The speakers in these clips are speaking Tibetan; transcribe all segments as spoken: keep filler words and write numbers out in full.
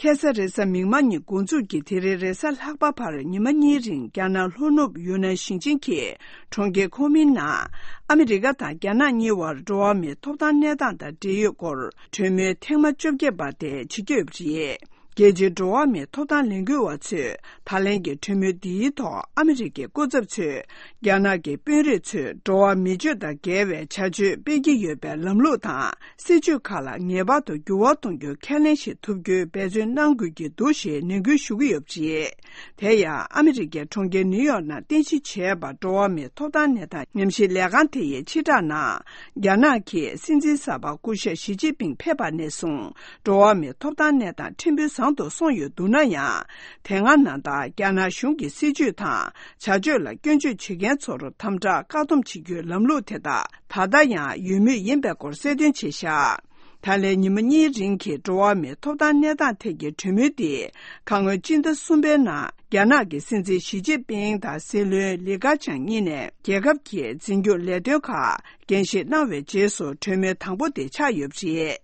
ཁ་སང་རེས་གཟའ་མིག་དམར་ཉིན་འགོ་འཛུགས་ཀྱིས་དེ་རིང་རེས་གཟའ་ལྷག་པ་བར་ཉི་མ་གཉིས་རིང་རྒྱ་ནག་ལྷོ་ནུབ་ཡུན་ནན་ཞིང་ཆེན་གྱི་གྲོང་ཁྱེར་ཁོ་མིན་ནང་ཨ་མི་རི་ཀ་དང་རྒྱ་ནག་གཉིས་བར་འགྲོ་བ་མིའི་ཐོབ་ཐང་གནས་སྟངས་དང་འབྲེལ་ཡོད་སྐོར་གྲོས་མོལ་ཐེངས་མ་བཅོ་བརྒྱད་པ་དེ་བྱེད་ཀྱི་ཡོད་པ་རེད། རྒྱལ་སྤྱིའི་འགྲོ་བ་མིའི་ཐོབ་ཐང་ལས་འགུལ་བ་ཚོས་ད་ལན་གྱི་གྲོས་མོལ་འདིའི་ཐོག་ཨ་མི་རི་ཀའི་སྐུ་ཚབ་ཚོས་རྒྱ་ནག་གི་དཔོན་རིགས་ཚོས་འགྲོ་བ་མི་སྤྱོད་དང་འགལ་བའི་བྱ་སྤྱོད་སྤེལ་གྱི་ཡོད་པའི་ལམ་ལུགས་དང་། སྲིད་ཇུས་ཁག་ལ་ངེས་པར་དུ་འགྱུར་བ་གཏོང་རྒྱུའི་ཁས་ལེན་ཞིག་ཐུབ་རྒྱུའི་འབད་བརྩོན་གནང་དགོས་ཀྱི་འདུག་ཞེས་ནན་སྐུལ་ཞུ་གི་ཡོད་པ་རེད། དེ་ཡང་ཨ་མི་རི་ཀའི་གྲོང་ཁྱེར་ནིའུ་ཡོག་ནང་རྟེན་གཞི་བྱས་པ་འགྲོ་བ་མིའི་ཐོབ་ཐང་གནས་སྟངས་ཉམས་ཞིབ་ལས་ཁང་དེ་ཡི་ཕྱིར་བསྒྲགས་ནང་། རྒྱ་ནག་གི་སྲིད་འཛིན་གསར་པ་སྐུ་ཞབས་ཞི་ཅིན་ཕིང་ཕེབས་པ་ནས་བཟུང་འགྲོ་བ་མིའི་ཐོབ་ཐང་གནས་སྟངས་ཕྲན་བུ་བཟང་དུ་སོང་ཡོད་འདུག་ན་ཡང་། དེ་སྔ་ནང་ལྟར་རྒྱ་ནག་གཞུང་གི་སྲིད་ཇུས་དང་བྱ་སྤྱོད་ལ་སྐྱོན་བརྗོད་བྱེད་མཁན་ཚོར་དམ་དྲག་བཀག་སྡོམ་བྱེད་རྒྱུའི་ལམ་ལུགས་དེ་དག་ད་ལྟ་ཡང་ཡོད་མུས་ཡིན་པའི་སྐོར་གསལ་སྟོན་བྱས་བཞག་ད་ལན་ཉི་མ་གཉིས་རིང་གི་འགྲོ་བ་མིའི་ཐོབ་ཐང་གནས་སྟངས་ཐད་ཀྱི་གྲོས་མོལ་འདི་ཁ་སྔོན་སྤྱི་ཟླ་གསུམ་པའི་ནང་རྒྱ་ནག་གི་སྲིད་འཛིན་ཞི་ཅིན་ཕིང་དང་སྲིད་བློན་ལི་ཁ་ཆང་གཉིས་ནས་རྒྱལ་ཁབ་ཀྱི་འཛིན་སྐྱོང་ལས་དོན་ཁག་འགན་བཞེས་གནང་བའི་རྗེས་སུ་གྲོས་མོལ་དང་པོ་དེ་ཆགས་ཡོད་པ་རེད།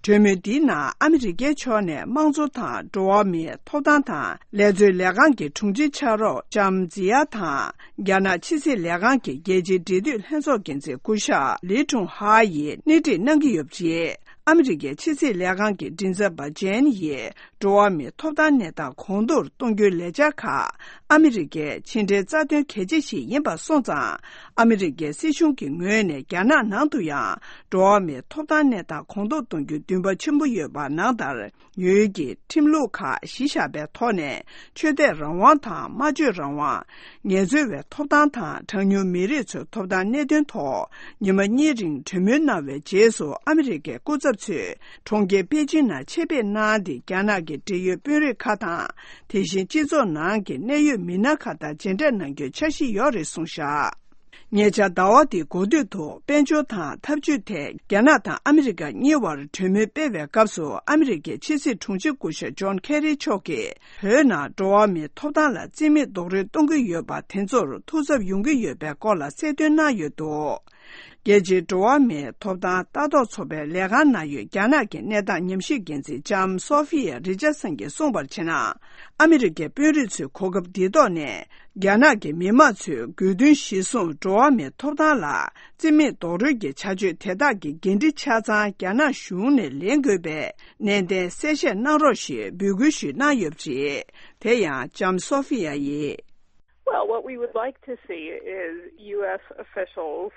གྲོས་མོལ་འདིའི་ནང་ཨ་མི་རི་ཀའི་ཕྱོགས་ནས་དམངས་གཙོ་དང་འགྲོ་བ་མིའི་ཐོབ་ཐང་དང་ལས་རྩོལ་ལས་ཁང་གི་དྲུང་ཆེ་ཕྱག་རོགས་ལྕམ་ཛི་ཡ་དང་། རྒྱ་ནག་ཕྱི་སྲིད་ལས་ཁང་གི་རྒྱལ་སྤྱིའི་འབྲེལ་མཐུད་ལྷན་ཚོགས་འགན་འཛིན་སྐུ་ཞབས་ལི་ཀྲུང་ཧྭ་ཡིས་སྣེ་ཁྲིད་གནང་གི་ཡོད་པ་རེད། ཨ་མི་རི་ཀའི་ཕྱི་སྲིད་ལས་ཁང་གི་མགྲིན་ཚབ་པ་ཇེན་ཡིས་འགྲོ་བ་མིའི་ཐོབ་ཐང་གནས་སྟངས་གོང་མཐོར་གཏོང་རྒྱུའི་ལས་འཆར་ཁག་ཨ་མི་རི་ཀའི་ཕྱི་འབྲེལ་རྩ་དོན་གལ་ཆེ་ཞིག་ཡིན་པ་སོང་ཙང་། ཨ་མི་རི་ཀའི་སྲིད་གཞུང་གི་ངོས་ནས་རྒྱ་ནག་ནང་དུ་ཡང་འགྲོ་བ་མིའི་ཐོབ་ཐང་གནས་སྟངས་གོང་མཐོར་གཏོང་རྒྱུའི་འདུན་པ་ཆེན་པོ་ཡོད་པ་ནང་ལྟར། ཡུལ་གྱི་ཁྲིམས་ལུགས་ཁག་གཞི་བཞག་པའི་ཐོག་ནས་ཆོས་དད་རང་དབང་དང་སྨྲ་བརྗོད་རང་དབང་། ངལ་རྩོལ་བའི་ཐོབ་ཐང་དང་གྲངས་ཉུང་མི་རིགས་ཚོའི་ཐོབ་ཐང་གནད་དོན་ཐོག་ཉི་མ་གཉིས་རིང་གྲོས་མོལ་གནང་བའི་རྗེས་སུ་ཨ་མི་རི་ཀའི་སྐུ་ཚབ་ཚོས་གྲོང་ཁྱེར་པེ་ཅིང་ནང་ཆེད་ཕེབས་གནང་སྟེ་རྒྱ་ནག་གི་འབྲེལ་ཡོད་དཔོན་རིགས་ཁག་དང་དེ་བཞིན་སྤྱི་ཚོགས་ནང་གི་གནད་ཡོད་མི་སྣ་ཁག་དང་མཇལ་འཕྲད་གནང་རྒྱུའི་འཆར་གཞི་ཡོད་རེད་གསུངས་བཞག་ཉེ་ཆར་ཟླ་བ་འདིའི་འགོ་སྟོད་དུ་དཔལ་འབྱོར་དང་འཐབ་ཇུས་ཐད་རྒྱ་ནག་དང་ཨ་མི་རི་ཀ་གཉིས་བར་གྲོས་མོལ་སྤེལ་བའི་སྐབས་སུ་ཨ་མི་རི་ཀའི་ཕྱི་སྲིད་དྲུང་ཆེ་སྐུ་ཞབས་ཇོན་ཁེ་རི་མཆོག་གིས་བོད་ནང་འགྲོ་བ་མིའི་ཐོབ་ཐང་ལ་རྩིས་མེད་རྡོག་རོལ་གཏོང་གི་ཡོད་པ་དེ་ཚོར་ཐུགས་འཚབ་ཡོང་གི་ཡོད་པའི་སྐོར་ལ་གསལ་སྟོན་གནང་ཡོད་འདུག་རྒྱལ་སྤྱིའི་འགྲོ་བ་མིའི་ཐོབ་ཐང་ལྟ་རྟོག་ཚོགས་པའི་ལས་ཁང་ནང་ཡོད་རྒྱ་ནག་གི་གནས་སྟངས་ཉམས་ཞིབ་འགན་འཛིན་ལྕམ་སོ་ཧྥི་ཡ་རི་ཅར་སན་གྱིས་གསུངས་པར་བྱས་ན། ཨ་མི་རི་ཀའི་དཔོན་རིགས་ཚོས་གོ་སྐབས་འདི་ཐོག་ནས། རྒྱ་ནག་གི་མི་དམངས་ཚོས་དགོས་འདུན་གཞིར་བཟུང་འགྲོ་བ་མིའི་ཐོབ་ཐང་ལ་རྩིས་མེད་རྡོག་རོལ་གྱི་བྱ་སྤྱོད་དེ་དག་གི་འགན་འཁྲི་ཆ་ཚང་རྒྱ་ནག་གཞུང་ནས་ལེན་དགོས་པའི་ནན་ཏན་གསལ་བཤད་གནང་རོགས་ཞེས་འབོད་སྐུལ་ཞུས་གནང་ཡོད་པ་རེད། དེ་ཡང་ལྕམ་སོ་ཧྥི་ཡ་ཡིས། Well, what we would like to see is U S officials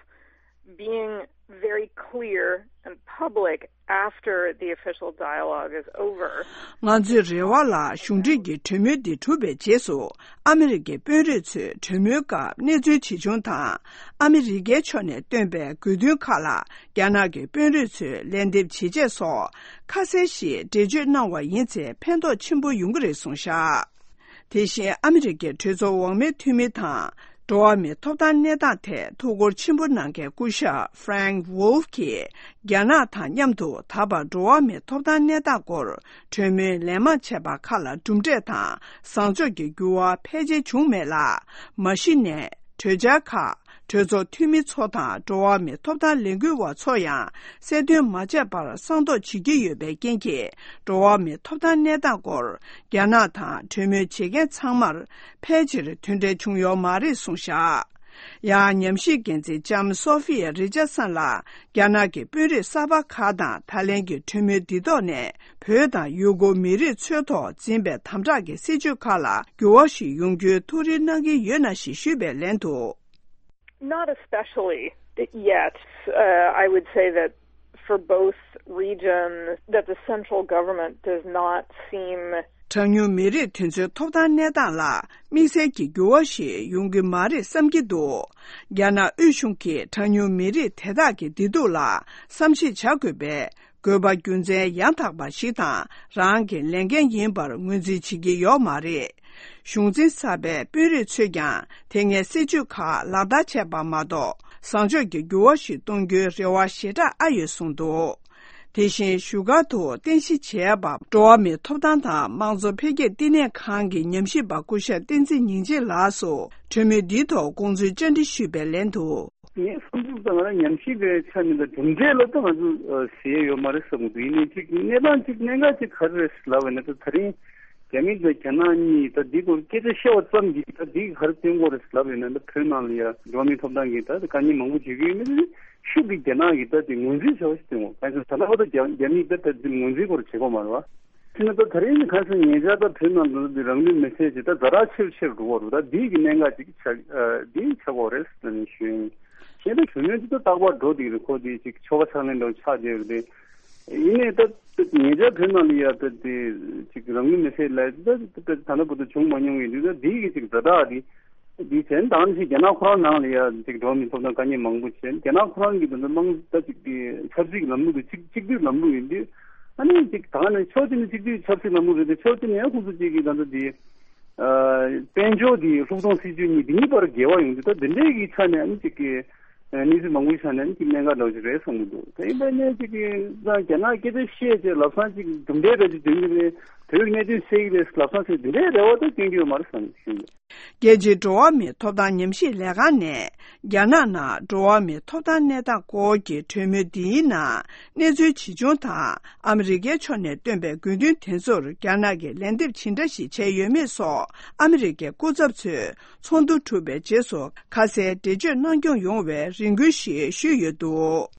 being very clear and public after the official dialogue is over. ང་ཚོའི་རེ་བ་ལ་གཞུང་འབྲེལ་གྱི་གྲོས་མོལ་འདི་གྲུབ་པའི་རྗེས་སུ་ཨ་མི་རི་ཀའི་དཔོན་རིགས་ཚོས་གྲོས་མོལ་སྐབས་གནས་ཚུལ་ཇི་བྱུང་དང་ཨ་མི་རི་ཀའི་ཕྱོགས་ནས་བཏོན་པའི་དགོས་འདུན་ཁག་ལ་རྒྱ་ནག་གི་དཔོན་རིགས་ཚོས་ལན་འདེབས་བྱེད་ཆེད་སོགས་ཁ་གསལ་ཞིག་འགྲེལ་བརྗོད་གནང་བ་ཡིན་ཚེ་ཕན་ཐོགས་ཆེན་པོ་ཡོང་གི་རེད་གསུངས་བཞག་དེ་བཞིན་ཨ་མི་རི་ཀའི་གྲོས་ཚོགས་འོག་མའི་འཐུས་མི་དང་། འགྲོ་བ་མིའི་ཐོབ་ཐང་གནས་སྟངས་ཐད་ཐུགས་ཁུར་ཆེན་པོ་གནང་མཁན་སྐུ་ཞབས་Frank Wolf གྱིས་རྒྱ་ནག་དང་མཉམ་དུ་ད་བར་འགྲོ་བ་མིའི་ཐོབ་ཐང་གནས་སྟངས་སྐོར་གྲོས་མོལ་ལན་མང་བྱས་པ་ཁག་ལ་གྲུབ་འབྲས་དང་བཟང་ཕྱོགས་ཀྱི་འགྱུར་བ་ཕལ་ཆེར་བྱུང་མེད་ལ། མ་གཞི་ནས་གྲོས་འཆར་ཁག་གྲོས་ཚོགས་འཐུས་མི་ཚོ་དང་འགྲོ་བ་མིའི་ཐོབ་ཐང་ལས་འགུལ་བ་ཚོ་ཡང་གསལ་སྟོན་མ་བྱས་པར་གསང་མདོག་བྱེད་ཀྱི་ཡོད་པའི་རྐྱེན་གྱིས་འགྲོ་བ་མིའི་ཐོབ་ཐང་གནས་སྟངས་སྐོར་རྒྱ་ནག་དང་གྲོས་མོལ་བྱེད་མཁན་ཚང་མར་ཕལ་ཆེར་དོན་འབྲས་བྱུང་ཡོད་མ་རེད་གསུངས་བཞག་ཡང་ཉམས་ཞིབ་འགན་འཛིན་ལྕམ་སོ་ཧྥི་ཡ་རི་ཅར་སན་ལ་རྒྱ་ནག་གི་དཔོན་རིགས་གསར་པ་ཁག་དང་ད་ལན་གྱི་གྲོས་མོལ་འདི་ཐོག་ནས་བོད་དང་ཡུ་གུར་མི་རིགས་ཚོའི་ཐོག་འཛིན་པའི་དམ་དྲག་གི་སྲིད་བྱུས་ཁག་ལ་འགྱུར་བ་ཞིག་ཡོང་རྒྱུའི་ཐུགས་རེ་གནང་གི་ཡོད་ན་ཞེས་ཞུས་པའི་ལན་དུ། Not especially yet. Uh, I would say that for both regions, that the central government does not seem གྲངས་ཉུང་མི་རིགས་དེ་ཚོའི་ཐོབ་ཐང་གནས་སྟངས་ལ་དམིགས་བསལ་གྱི་འགྱུར་བ་ཞིག་ཡོང་གི་མ་རེད་བསམ་གྱི་འདུག་རྒྱ་ནག་དབུས་གཞུང་གིས་གྲངས་ཉུང་མི་རིགས་དེ་དག་གི་བདེ་སྡུག་ལ་བསམ་གཞིག་བྱ་དགོས་པའི་དགོས་པ་རྒྱུ་མཚན་ཡང་དག་པ་ཞིག་དང་རང་གི་ལས་འགན་ཡིན་པར་ངོས་འཛིན་བྱེད་ཀྱི་ཡོད་མ་རེད། གཞུང་འཛིན་གསར་པའི་དཔོན་རིགས་ཚོས་ཀྱང་དེ་སྔའི་སྲིད་བྱུས་ཁག་ལག་བསྟར་བྱས་པ་མ་གཏོགས་བཟང་ཕྱོགས་ཀྱི་འགྱུར་བ་ཞིག་གཏོང་རྒྱུའི་རེ་བ་ཞེ་དྲག་ཨ་ཡོད་གསུངས་འདུག་དེ་བཞིན་བཞུགས་སྒར་དུ་རྟེན་གཞི་བྱས་པ་འགྲོ་བ་མིའི་ཐོབ་ཐང་དང་དམངས་གཙོ་འཕེལ་རྒྱས་བསྟི་གནས་ཁང་གི་ཉམས་ཞིབ་པ་སྐུ་ཞབས་བསྟན་འཛིན་ཉིན་བྱེད་ལགས་སུ་གྲོས་མོལ་འདིའི་ཐོག་དགོངས་ཚུལ་བཅར་འདྲི་ཞུས་པའི་ལན་དུ། ངའི་བསམ་ཚུལ་དང་ང་རང་ཉམས་ཞིབ་པའི་ཆ་ནས་དང་གྲུབ་འབྲས་ལ་ད་ང་ཚོ་ཨ་ཟེར་ཡོད་མ་རེད་བསམ་གྱི་འདུག་ཡིན་ནའི་ཅིག་གནས་སྟངས་ཅིག་གནད་འགག་ཅིག་ག་རེ་རེད་ལབ་པ་ཡིན་ན། ད་ད་རིང་རྒྱ་མི་དང་རྒྱ་ནག་གཉིས་ད་འདི་སྐོར་སྐད་ཆ་བཤད་པ་ཙམ་གྱིས་ད་འདི་ག་རེ་སྟོན་གྱི་རེད་ལབ་ཡོད་ན། ད་བོད་ནང་ལ་ཡ་འགྲོ་བ་མིའི་ཐོབ་ཐང་གི་ད་དཀའ་ཉེན་མང་པོ་བྱེད་ཀྱི་ཡོད་མེད་དེ་ཤུགས་ཀྱིས་རྒྱ་ནག་གིས་ད་དེ་ངོས་འཛིན་བྱ་བ་ཞིག་སྟོན་གྱི་ཡོད། གང་ཡིན་ཟེར་ན་ད་ལྟ་བར་དུ་རྒྱ་རྒྱ་མིས་ད་ད་དེ་ངོས་འཛིན་སྐོར་བྱེད་དགོས་མ་རེད་བ། དེ་ནི་ད་ད་རིང་ནི་གང་ཟེར་ཉེ་ཆར་ད་བོད་ནང་དུ་འདི་རང་ལུས་མེར་སྲེག་ཅིག་ད་ཛ་དྲག་ཆེ་རུ་ཆེ་རུ་འགྲོ་བ་རེད། ད་འདི་གི་གནད་འགག་ཅིག་ཆགས་ཨ་འདི་ཆགས་ཀྱི་ཡོད་རེད་ཟེར་ནས་ཞུ་ཡིན། གཞན་ད་གྲོས་མོལ་ཅིག་ད་རྟག་པར་འགྲོ་བསྡད་ཀྱི་རེད། ཁོ་དེ་ཅིག་ཆོ་ག་ཕྱག་ལེན་འདྲ་བོ་ཆགས་བསྡད་ཡོད་རེད། ཡིན་ནའི་ད་ད་ཉེ་ཆར་བོད་ནང་ལ་ཡ་ད་དེ་ཅིག་རང་ལུས་མེར་སྲེག་ལབ་ད་ད་ད་ལྟ་བར་དུ་བྱུང་མ་མྱོང་བའི་དུས་ད་འདི་གི་ཅིག་ཛ་དྲག་འདི། དེའི་ཚེ་ད་ནི་རྒྱ་ནག་ཁོ་རང་ནང་ལ་ཡ་ཅིག་འགྲོ་བ་མིའི་ཐོབ་ཐང་དཀའ་ཉེན་མང་པོ་བྱས། རྒྱ་ནག་ཁོ་རང་གི་ད་ལྟ་དམངས་ད་ཅིག་གི་ཆབ་སྲིད་ཀྱི་ལམ་ལུགས་དེ་གཅིག་གཅིག་སྡུད་ལམ་ལུགས་ཡིན་དུས། ཨ་ནི་ཅིག་ད་ནི་ཕྱོགས་གཅིག་ནས་གཅིག་སྡུད་ཆབ་སྲིད་ལམ་ལུགས་རེད་དེ། ཕྱོགས་གཅིག་ནས་ཡང་ཁོ་ཚོ་གཅིག་གི་ད་ལྟ་དེ་ཨ་དཔལ་འབྱོར་དེ་ལྷུག་གཏོང་སྲིད་ཇུས་གཉིས་དེ་གཉིས་བར་འགལ་བ་ཡོང་དུས། ད་དེ་འདྲའི་གི་ཆ་ནས་ཨ་ནི་ཅིག་གི་གནས་ཚུལ་མང་པོའི་ཆ་ནས་ཨ་ནི་ཅིག་གནད་འགག་འདྲ་བོ་ཞིག་རེད་བསམ་གྱི་འདུག་ད་ཡིན་པ་ནས་ཅིག་གི་ད་རྒྱ་ནག་སྐད་ཆ་བཤད་བྱས་ལམ་སང་ཅིག་གྲུབ་འབྲས་འདྲ་ཅིག་འདོན་གྱི་རེད། བོད་ཀྱི་གནད་དོན་སེལ་གྱི་རེད་ལམ་སང་ཟེར་དེ་འདྲའི་རེ་བ་ད་སྐྱོན་གྱི་ཡོད་མ་རེད་བསམ་གྱི་ཡོད། རྒྱལ་སྤྱིའི་འགྲོ་བ་མིའི་ཐོབ་ཐང་ཉམས་ཞིབ་ལས་ཁང་ནས། རྒྱ་ནག་ནང་འགྲོ་བ་མིའི་ཐོབ་ཐང་གནས་སྟངས་སྐོར་གྱི་གྲོས་མོལ་འདིའི་ནང་གནས་ཚུལ་ཇི་བྱུང་དང་། ཨ་མི་རི་ཀའི་ཕྱོགས་ནས་བཏོན་པའི་དགོས་འདུན་དེ་ཚོར་རྒྱ་ནག་གིས་ལན་འདེབས་ཇི་འདྲ་ཞིག་བྱས་ཡོད་མེད་སོགས། ཨ་མི་རི་ཀའི་སྐུ་ཚབ་ཚོས་ཚོགས་འདུ་གྲུབ་པའི་རྗེས་སུ་ཁ་གསལ་འགྲེལ་བརྗོད་གནང་སྐྱོང་ཡོང་བའི་རེ་སྐུལ་ཞིག་ཞུས་ཡོད་འདུག